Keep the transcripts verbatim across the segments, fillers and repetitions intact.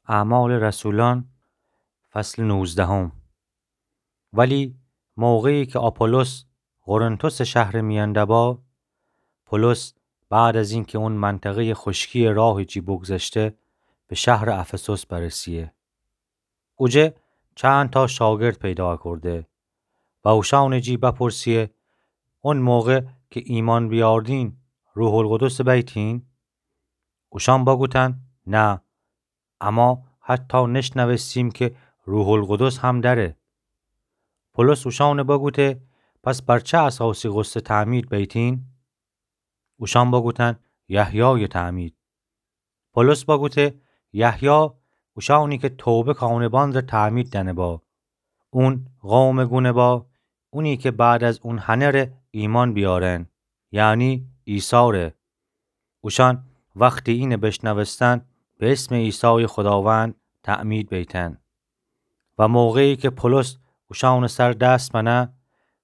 اعمال رسولان، فصل نوزدهم. ولی موقعی که آپولوس قرنتس شهر میأن دبا، پولس بعد از اینکه اون منطقهٔ خشکی راه جی بگذشته، به شهر افسوس برسیه. اوجه چند تا شاگرد پیدا کرده و اوشان جی بپرسیه: اون موقع که ایمان بیاردین، روح القدس بیتین؟ اوشان بگوتن: نه، اما حتی نشنوستیم که روح القدس هم دره. پولس اوشان بگوته: پس بر چه اساسی غسل تعمید بیتین؟ اوشان بگوتن: یحیای تعمید. پولس بگوته: یحیا اوشانی که توبه کانبان ره تعمید دنه با، اون قوم گونه با، اونی که بعد از اون هنه ره ایمان بیارن، یعنی عیسی ره. اوشان وقتی اینه بشنوستن، به اسم عیسی خداوند تعمید بیتن. و موقعی که پولس اوشان سر دست بنه،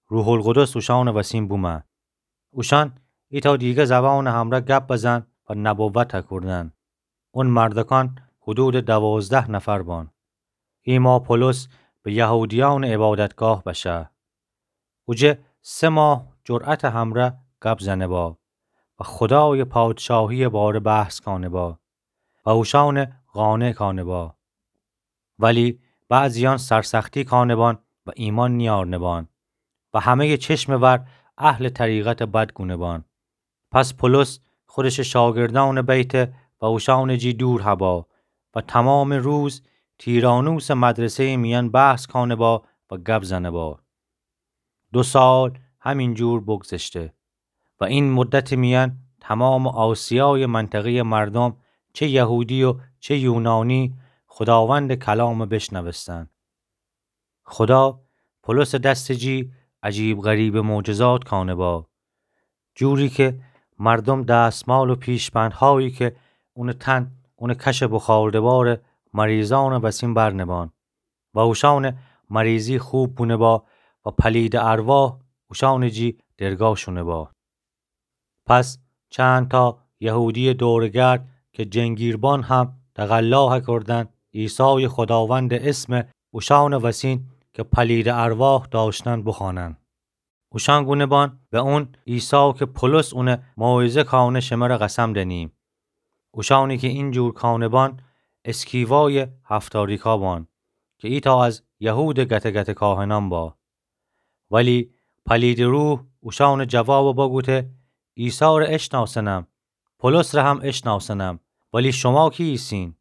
روح القدس اوشان وسین بومه. اوشان ایتا دیگه زبان همره گپ بزن و نبوت کردن. اون مردکان حدود دوازده نفر بان. ایما پولس به یهودیان عبادتگاه بشه. اوجه سه ماه جرأت همره گپ زنه با و خدای پادشاهی باره بحث کانه با و اوشان قانع کانه با. ولی بعضیان سرسختی کانه بان و ایمان نیارنه بان و همهٔ چشم ور اهل طریقت بد گونه بان. پس پولس خودش شاگردان بیته و اوشان جی دور هبا و تمام روز تیرانوس مدرسهٔ میان بحث کانه با و گپ زنه با. دو سال همین جور بگذشته و این مدت میان تمام آسیای منطقهٔ مردم، چه یهودی و چه یونانی، خداوند کلام بشنوستن. خدا پولس دست جی عجیب غریب معجزات کانه با، جوری که مردم دستمال و پیشبندهایی که اون تن اون کش بخاردبار مریضان وسین برنبان و اوشان مریضی خوب بونه با و پلید ارواح اوشان جی درگاه شونه با. پس چند تا یهودی دورگرد که جنگیربان هم تقلا کردن عیسی خداوند اسم اوشان وسین که پلید ارواح داشتن بخوانن. اوشان گونه بان به اون عیسی که پولس اون موعظه کانه شمره قسم دنیم. اوشانی که این جور کانه بان اسکیوای هفتاریکا بان که ایتا از یهود گته گته کاهنان با. ولی پلید روح اوشان جواب بگوته: عیسی ره اشناسنم، پولس ره هم اشناسنم، ولی شما کی ایسین؟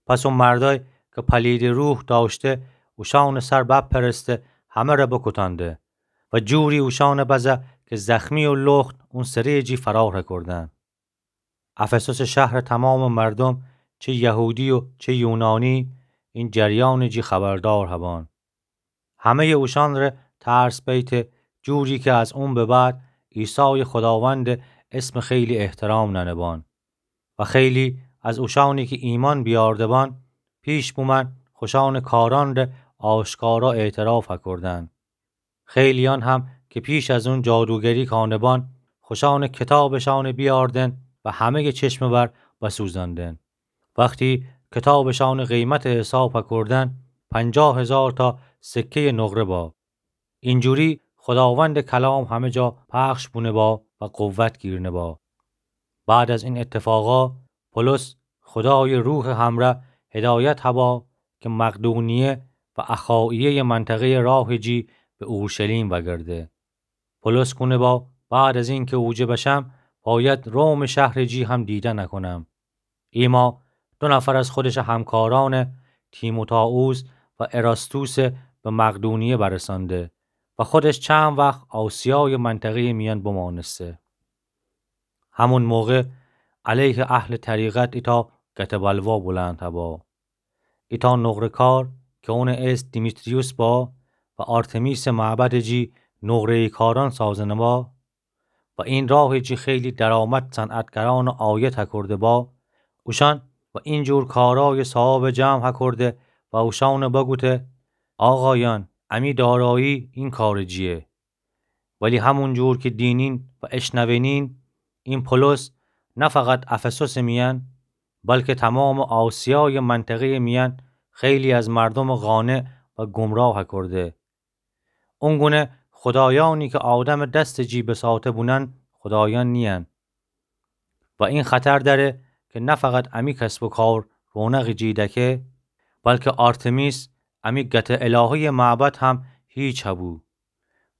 پس او مردای که پلید روح داشته اوشان سر بپرسته همه ره بکوتانده و جوری اوشان بزه که زخمی و لخت اون سری جی فرار کردن. افسوس شهر تمام مردم، چه یهودی و چه یونانی، این جریان جی خبردار هبان. همهٔ اوشان ره ترس بیته، جوری که از اون به بعد عیسی خداوند اسم خیلی احترام ننبان و خیلی از اوشانی که ایمان بیاردبان پیش بومن خوشان کاران ره آشکارا اعتراف کردن. خیلیان هم که پیش از اون جادوگری کانبان خوشان کتابشان بیاردن و همهٔ چشم ور بسوزاندن. وقتی کتابشان قیمت حساب کردن، پنجاه هزار تا سکهٔ نقره با. اینجوری خداوند کلام همه جا پخش بونه با و قوت گیرنه با. بعد از این اتفاقا پولس خدای روح همره هدایت هبا که مقدونیه و اخاییه منطقهٔ راه جی به اورشلیم وگرده. پولس گونه با بعد از این که اوجه بشم باید روم شهر جی هم دیدن کنم. ایما دو نفر از خودش همکاران تیموتائوس و اراستوس به مقدونیه برسانده و خودش چند وقت آسیای منطقهٔ میان بمانسته. همون موقع علیه اهل طریقت ایتا گته بلوا بلند هبا. ایتا نقره‌کار که اون اسم دیمیتریوس با و آرتمیس معبد جی نقره‌کاران سازنه با و این راه جی خیلی درآمد صنعتگران عاید هکرده با، اوشان و این جور کارای صاحاب جمع هکرده و اوشان بگوته: آقایان، امی دارایی این کار جیه. ولی همون جور که دینین و اشنوینین، این پولس نه فقط افسوس میان، بلکه تمامٚ آسیایٚ منطقه‌یٚ میأن خیلی از مردومٚ قانع و گمراه کرده. اونگونه خدایأنی که آدمٚ دستٚ جی بساطه بونن خدایأن نیین. و این خطر دأره که نه فقط امی کسب و کار رونقٚ جی دکه، بلکه آرتمیس امی گتٚ الهه‌یٚ معبد هم هیچ هبو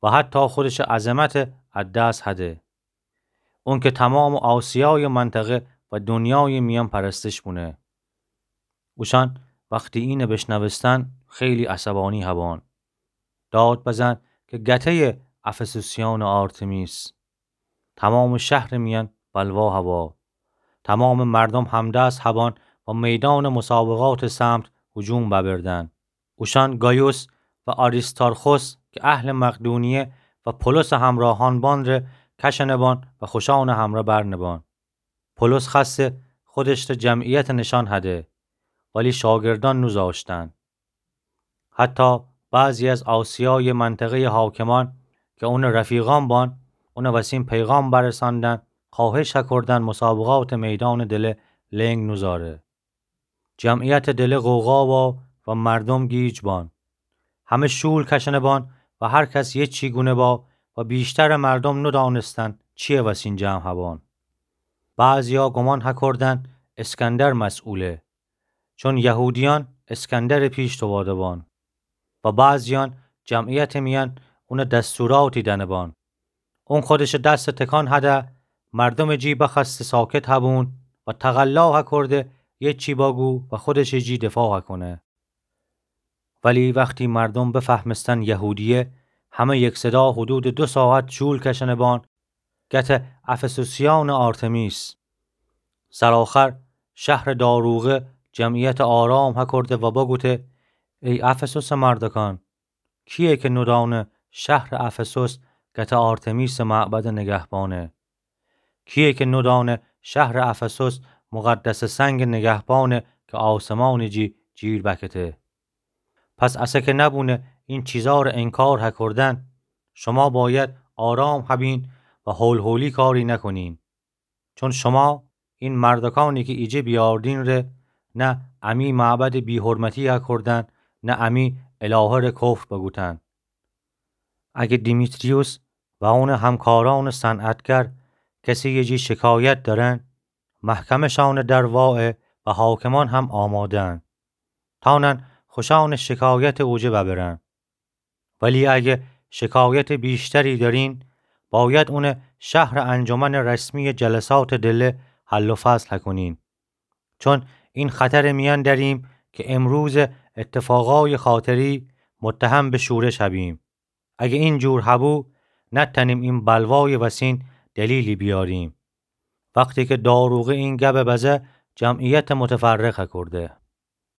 و حتی خودشٚ عظمت از دس هده. اون که تمامٚ آسیایٚ منطقه و دونیایٚ میأن پرستش بونه. اوشأن وختی اینه بشنوستن خیلی عصبانی هبان. داد بزن که گته‌یٚ افسوسیأنٚ آرتمیس. تمامٚ شهرٚ میأن بلوا هوا. تمامٚ مردوم همدست هبان و میدانٚ مسابقاتٚ سمت هجوم ببردن. اوشأن گایوس و آریستارخوس که اهلٚ مقدونیه و پولسٚ همراهأن بان ره کشأنه بان و خوشأنٚ همرأ برنه بان. پولس خوأسته خودش ره جمعیت نشأن هده، ولی شاگردأن نوزاشتن. حتی بعضی از آسیایٚ منطقه‌یٚ حاکمأن که اونٚ رفیقأن بان، اون وسین پیغام برسأندن، خوأهش هکردن مسابقاتٚ میدانٚ دله لنگ نوزاره. جمعیتٚ دله غوغا وا و مردوم گیج بان. همه شول کشأنه بان و هر کس یه چی گونه با و بیشترٚ مردوم نودانستن چیه وسین جمع هبان. بعضیا گمان هکردن اسکندر مسئوله، چون یهودیأن اسکندرٚ پیش تواده بان. و بعضیأن جمعیتٚ میأن اون دستوراتی دأنه بان. اون خودشٚ دس تکان هده، مردومٚ جی بخوأسته ساکت هبون و تقلا هکرده یه چی بگو و خودشٚ جی دفاع هکونه. ولی وختی مردوم بفهمستن یهودیه، همه یکصدا حدودٚ دو ساعت شول کشأنه بان گتٚ افسوسیأنٚ آرتمیس. سرآخر شهرٚ داروغه جمعیت آرام هکرده و بگوته: ای افسوسٚ مردکأن، کییه که نودأنه شهرٚ افسوس گتٚ آرتمیسٚ معبدٚ نگهبانه؟ کییه که نودأنه شهرٚ افسوس مقدسٚ سنگٚ نگهبانه که آسمانٚ جی جیر بکته؟ پس اسه که نبونه این چیزا ره انکار هکردن، شما باید آرام هبین و هول‌هولی کاری نکنین. چون شما این مردکأنی که ایجه بیاردین ره، نه امی معبدٚ بی‌حرمتی هکردن، نه امی الهه ره کفر بگوتن. اگه دیمیتریوس و اونٚ همکارأنٚ صنعتگر کسی یه جی شکایت دأرن، محکمه‌شأنٚ در واه و حاکمأن هم آماده‌ن. تأنن خوشأنٚ شکایت اوجه ببرن. ولی اگه شکایت بیشتری دأرین، باید اونه شهرٚ انجمنٚ رسمی جلساتٚ دله حل و فصل هکونین. چون این خطرٚ میأن دأریم که امروز اتفاقای خاطری متهم به شورش هبیم. اگه این جور هبو، نتأنیم این بلوای وسین دلیلی بیاریم. وختی که داروغه این گبه بزه، جمعیت متفرق هکرده.